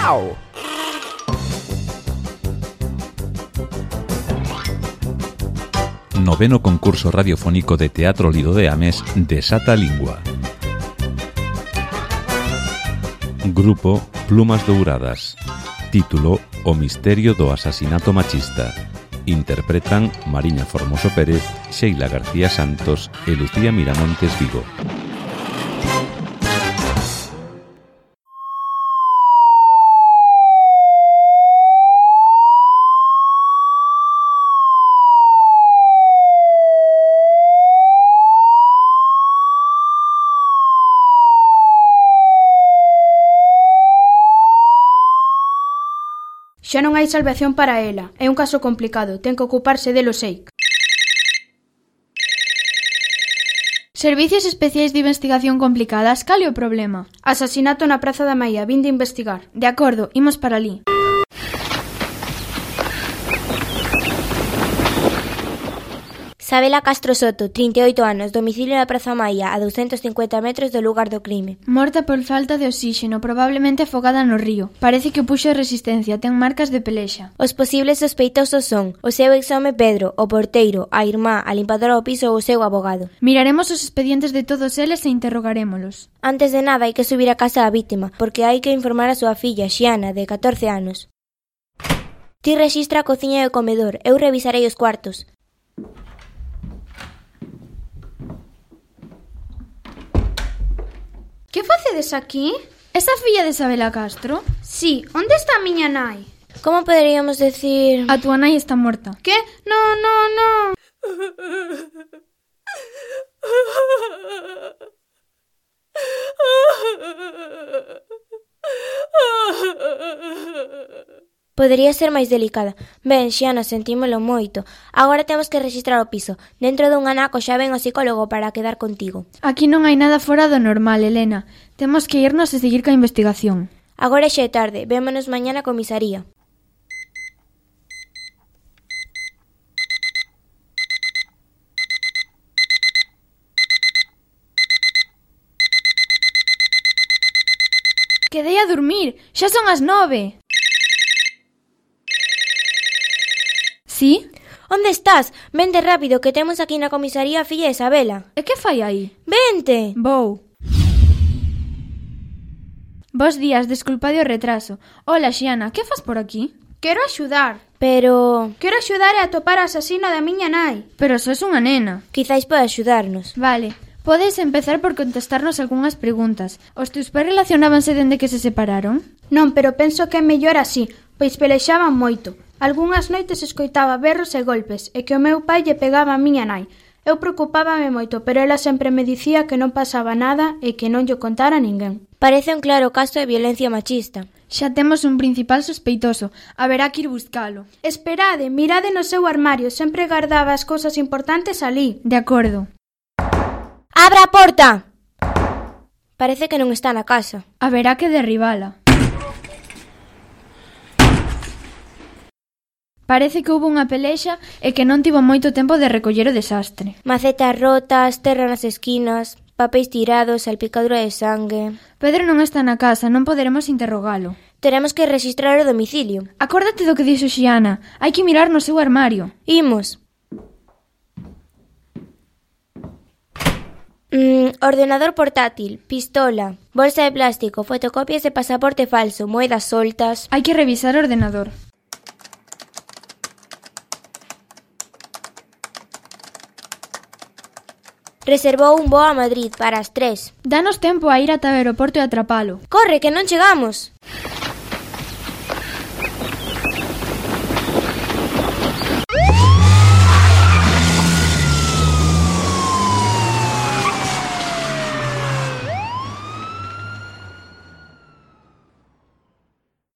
Au! Noveno concurso radiofónico de Teatro Lido de Ames Desata a Lingua. Grupo Plumas Douradas. Título O misterio do asasinato machista. Interpretan Mariña Formoso Pérez, Sheila García Santos e Lucía Miramontes Vigo. Xa non hai salvación para ela. É un caso complicado, ten que ocuparse delo sei. Servicios Especiais de Investigación Complicadas, cal é o problema? Asasinato na Praza da Maia, vin de investigar. De acordo, imos para ali. Sabela Castro Soto, 38 anos, domicilio na Praza Maia, a 250 metros do lugar do crime. Morta por falta de oxíxeno, probablemente afogada no río. Parece que puxo resistencia, ten marcas de pelexa. Os posibles sospeitosos son o seu exhome Pedro, o porteiro, a irmá, a limpadora do piso ou o seu abogado. Miraremos os expedientes de todos eles e interrogarémolos. Antes de nada hai que subir a casa da vítima, porque hai que informar a súa filla, Xiana, de 14 anos. Ti rexistra a cociña e o comedor, eu revisarei os cuartos. Que facedes aquí? Esa filla de Sabela Castro? Sí, onde está a miña nai? Como poderíamos decir... A túa nai está morta. Que? No. Podería ser máis delicada. Ben, Xiana, sentímolo moito. Agora temos que rexistrar o piso. Dentro dun anaco xa ven o psicólogo para quedar contigo. Aquí non hai nada fora do normal, Elena. Temos que irnos e seguir coa investigación. Agora xa é tarde. Vémonos mañá na comisaría. Quedei a dormir. Xa son as 9. Sí? Onde estás? Vente rápido, que temos aquí na comisaría a filla de Sabela. E que fai aí? Vente! Vou. Bos días, desculpade o retraso. Hola, Xiana, que fas por aquí? Quero axudar. Pero... Quero axudar a atopar a asasino da miña nai. Pero sos unha nena. Quizáis pode axudarnos. Vale, podes empezar por contestarnos algunhas preguntas. Os teus pais relacionábanse dende que se separaron? Non, pero penso que é mellor así, pois pelexaban moito. Algúnas noites escoitaba berros e golpes, e que o meu pai lle pegaba a miña nai. Eu preocupábame moito, pero ela sempre me dicía que non pasaba nada e que non lle contara a ninguén. Parece un claro caso de violencia machista. Xa temos un principal sospeitoso. Haberá que ir buscalo. Esperade, mirade no seu armario, sempre guardaba as cousas importantes ali. De acordo. Abra a porta! Parece que non está na casa. Haberá que derribala. Parece que houve unha pelexa e que non tivo moito tempo de recoller o desastre. Macetas rotas, terra nas esquinas, papéis tirados, salpicadura de sangue... Pedro non está na casa, non poderemos interrogalo. Teremos que registrar o domicilio. Acórdate do que dixo Xiana. Hai que mirar no seu armario. Imos. Ordenador portátil, pistola, bolsa de plástico, fotocopias de pasaporte falso, moedas soltas... Hai que revisar o ordenador. Reservou un voo a Madrid para as 3. Danos tempo a ir ata o aeroporto e atrapalo. Corre, que non chegamos.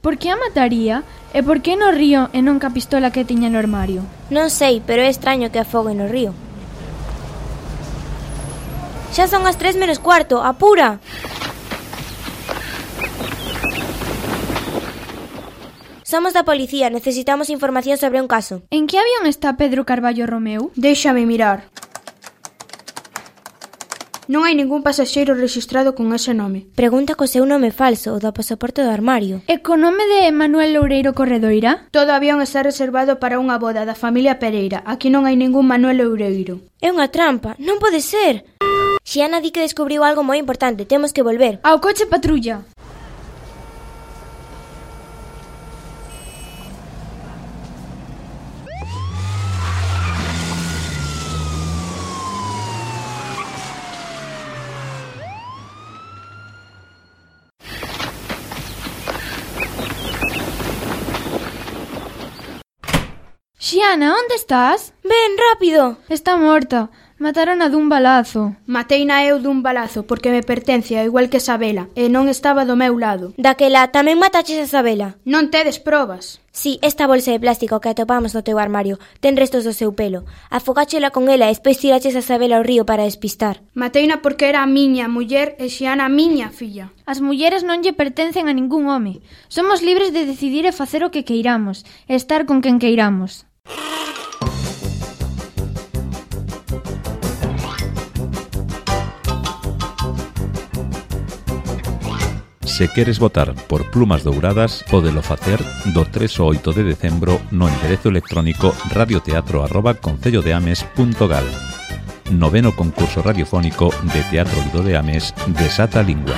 Por que a mataría? E por que no río e non ca pistola que tiña no armario? Non sei, pero é extraño que afogue no río. Xa son as 3 menos cuarto, apura! Somos da policía, necesitamos información sobre un caso. En que avión está Pedro Carballo Romeu? Déixame mirar. Non hai ningún pasaxeiro rexistrado con ese nome. Pregunta co seu nome falso, o do pasaporte do armario. E co nome de Manuel Loureiro Corredoira? Todo avión está reservado para unha boda da familia Pereira. Aquí non hai ningún Manuel Loureiro. É unha trampa, non pode ser. Xiana di que descubriu algo moi importante, temos que volver. Ao coche patrulla. Xiana, onde estás? Ven, rápido! Está morta. Matarona dun balazo. Mateina eu dun balazo porque me pertence ao igual que Sabela e non estaba do meu lado. Daquela tamén mataches a Sabela. Non tedes probas. Si, esta bolsa de plástico que atopamos no teu armario ten restos do seu pelo. Afogáchela con ela e despois tiraches a Sabela ao río para despistar. Mateina porque era a miña muller e Xiana a miña filla. As mulleres non lle pertencen a ningún home. Somos libres de decidir e facer o que queiramos, e estar con quen queiramos. Se queres votar por Plumas Douradas, pódelo facer do 3 ao 8 de decembro no enderezo electrónico radioteatro@concellodeames.gal. Noveno concurso radiofónico de Teatro Lido de Ames, Desata Lingua.